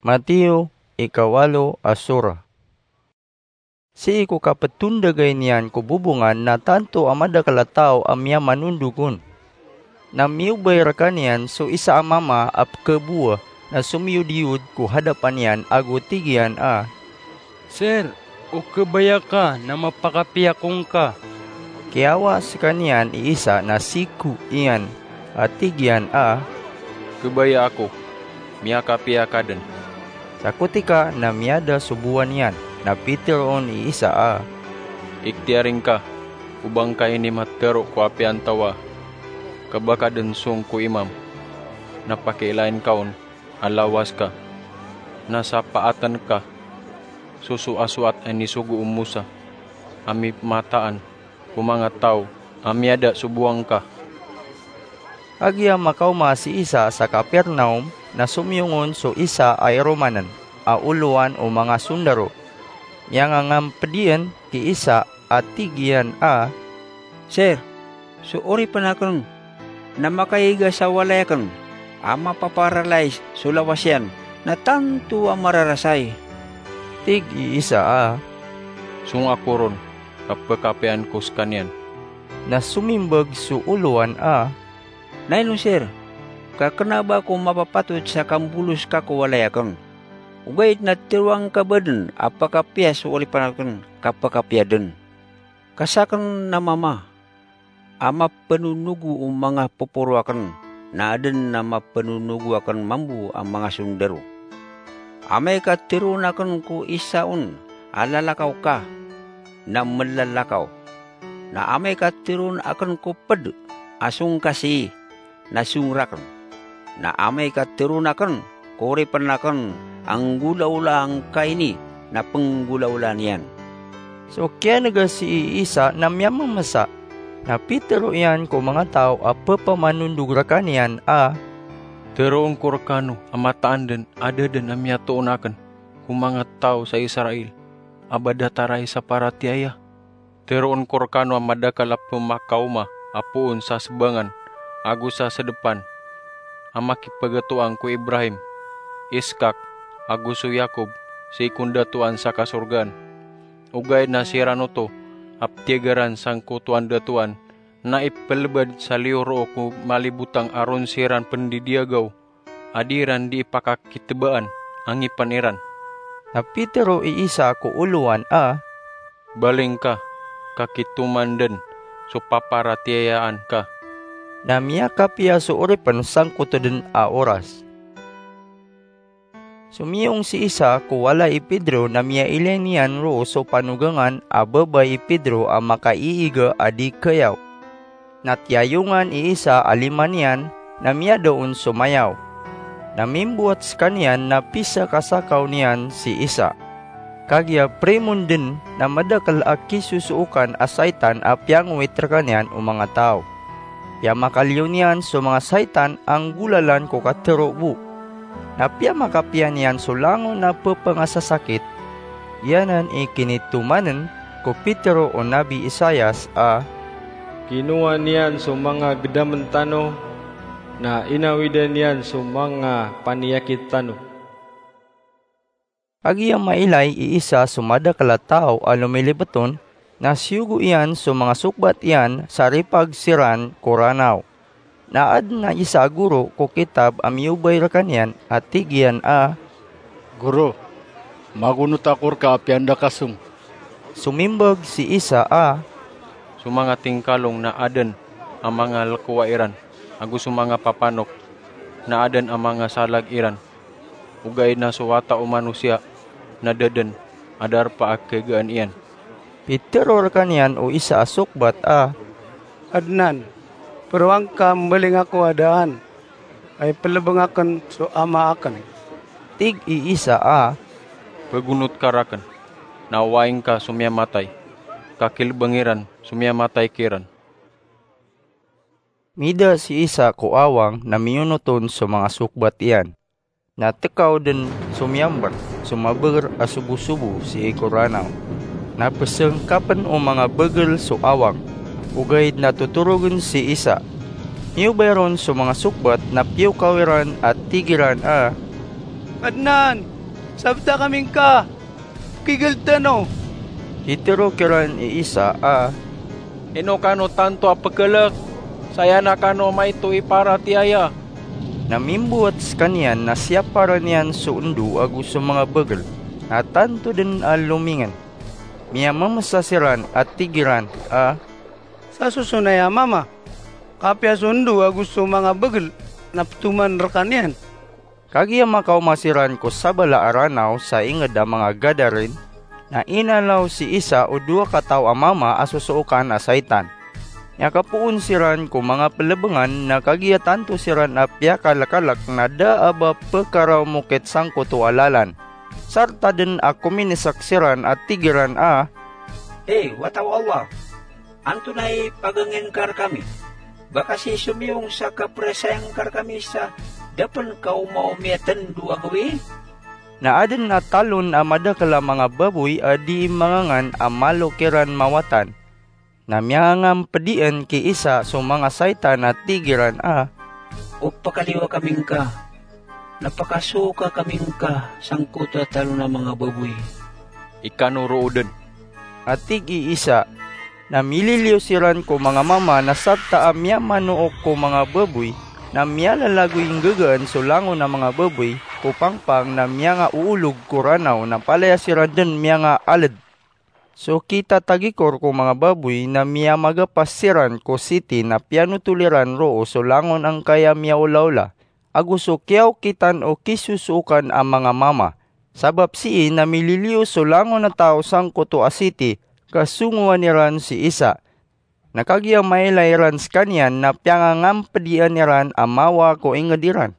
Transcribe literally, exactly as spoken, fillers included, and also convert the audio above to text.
Mateo, ika walo a sura. Sii ko kapetondagay niyan ko bobongan na tanto a madakel a taw a miyamanondog on. Na miyobay rekaniyan so isa a mama a pekabowa na somiyodiyod ko hadapan iyan ago tig iyan a, "Sir, o kebaya ka na mapakapiya ako ngka." Kiyawa sekaniyan i isa na siko iyan a tig iyan a, "Kebaya ako, miyakapiya ka den." Sakotika na miyada so bowan iyan, na piteroon i isa a, "Ikhtiyari ngka o ba ngka ini matero ko apiya antawa, ka ba ka den song ko imam, na pakiilain ka on a lawas ka, na sapaatan ka so soasoat a inisogo o Mosa a mimataan ko manga taw a miyada so bowang ka." Agiya makaoma si Isa sa Capernaum, na somiyong on so isa a iromanen a olowan o manga sondaro. Miyangangamped iyan ki Isa a tig iyan a, "Sir, so oripen aken na makaiga sa walay aken a mapaparalais so lawas iyan, na tanto a mararasay." Tig i Isa a, "Song ako ron, ka pekapiyaan ko sekaniyan." Na somimbag so olowan a, "Na ino, sir, ka kena ba ako mapapatot sa kambolos ka ko walay aken? Ogaid na teroang ka ba den a pekapiya so oripen aken, ka pekapiya den. Ka saken na mama a mapenonogo o manga poporo aken, na aden a mapenonogo aken mambo a manga sondaro. Amay ka teroon aken ko isa on a lalakaw ka, na melalakaw. Na amay ka teroon aken ko ped a song ka sii, na song raken. Na amay ka teroon aken ko oripen aken a nggolaolaan ka ini, na penggolaolaan iyan." So kiyanega sii i Isa na miyamemesa, na pitero iyan ko manga taw a pepamanondog rekaniyan a, "Teroon ko rekano a mataan den a da den a miyatoon aken ko manga taw sa Israel a ba datar a isaparatiyaya? Teroon ko rekano a madakel a pemakaoma a poon sa sebangan ago sa sedepan a makipegetoang ko Ibrahim, Iskak, ago so Yakob sii ko ndatoan sa kasorgaan. Ogaid na siran oto a petiyagaran sangkoto a ndatoan na ipelebad sa liyo roo ko malibotang a ron siran pendidiyagaw a di iran di ipakakitebaan a ngipen iran." Na pitero i Isa ko olowan a, "Baling ka, ka kitoman den so paparatiyayaan ka." Na miyakapiya so oripen sangkoto den a oras. Somiyong si Isa ko walay i Pedro na miyailay niyan roo so panogangan a babay i Pedro a makaiiga a di keyaw. Na tiyayongan i Isa a lima niyan, na miyada on so mayaw. Na mimbowat sekaniyan na pisakasakaw niyan si Isa. Kagiya perimon den na madakel a kisosookan a saitan a piyangowit rekaniyan o manga taw. Piyamakaliyo niyan so manga saitan a nggolalan ko katero bo. Na piyamakapiya niyan so langon a pepengasasakit. Giyanan i kinitomanen ko Pedro o Nabi Isaias a, "Kinowa niyan so manga gedamen tano, na inawidan iyan so manga paniyakit tano." Agiya mailay i Isa so madakel a taw a lomilipet on, na siyogo iyan so manga sokbat iyan sa ripag siran ko Ranaw. Na aden a isa a goro ko kitab a miyobay rekaniyan a tig iyan a, "Goro, magonot ako reka apiya anda ka song." Somimbag si Isa a, "So manga tingkalong na aden a manga lekowa iran, ago so manga papanok na aden a manga salag iran. Ogaid na so Wata o Manosiya na da den a darpa a kegaan iyan." Pitero rekaniyan o isa a sokbat a, "Adenan, peroang ka mbaling ako a daan a ipelebeng aken so ama aken." Tig i Isa a, "Pegonot ka raken, na oway ngka so miyamatay, ka kilebeng iran so miyamatay kiran." Mida si Isa ko awang na miyonot on so manga sokbat iyan. Na tekaw den so miyamber so mabeger a sobosobo sii ko Ranaw. Na pesengkapen o manga begel so awang, ogaid na totorogen si Isa. Miyobay ron so manga sokbat na piyokaw iran a tig iran a, "Kadnan, sabta kami ngka, pkigld tano." Pitharo kiran i Isa a, "Ino kano tanto a pkhalk? Saya na kano maito i paratiyaya." Na mimbowat skaniyan na siyaparan iyan so ndo ago so manga bagl, na tanto dn a lomingn. Miyamamsa siran a tig iran a, "Sa sosonay a mama, kapiya so ndo ago so manga bagl na ptoman rkaniyan." Kagiya makaoma siran ko sabala a Ranaw sa ingd a manga Gadarin, na inalaw si Isa o dowa kataw a mama a sosookan a saitan. Miyakapoon siran ko manga plbngan, na kagiya tanto siran a piyakalkalk na da a ba pkaraomokit sangkoto a lalan. Sarta dn a kominisek siran a tig iran a, "Hay wata o Allah, antonaa i pagangin ka rkami? Ba ka sii somiyong sa kaprasayang ka rkami sa da pn ka omaoma i tndo a gawii?" Na adn a talon a madakl a manga baboy a dii mangangan a malo kiran mawatan. Na miyangampdian ki Isa so manga saitan a tig iran a, "O pakaliyo kami ngka, na pakasoka kami ngka sangkoto a talon a manga baboy." "Ikano roo dn," a tig i Isa. Na mililiyo siran ko manga mama na sarta a miyamanook ko manga baboy, na miyalalagoy nggagaan so langon a manga baboy ko pangpang, na miyangaoolog ko Ranaw, na palaya siran dn miyangaaled. So kitatagikor ko manga baboy na miyamagapas siran ko siti na piyanotol iran roo so langon angkaya miyaolaola, ago so kiyaokitan o kisosookan a manga mama. Sabap sii na mililiyo so langon a taw sangkoto a siti ka songowan iran si Isa. Na kagiya mailay iran skaniyan na piyangangampdian iran a mawa ko ingd iran.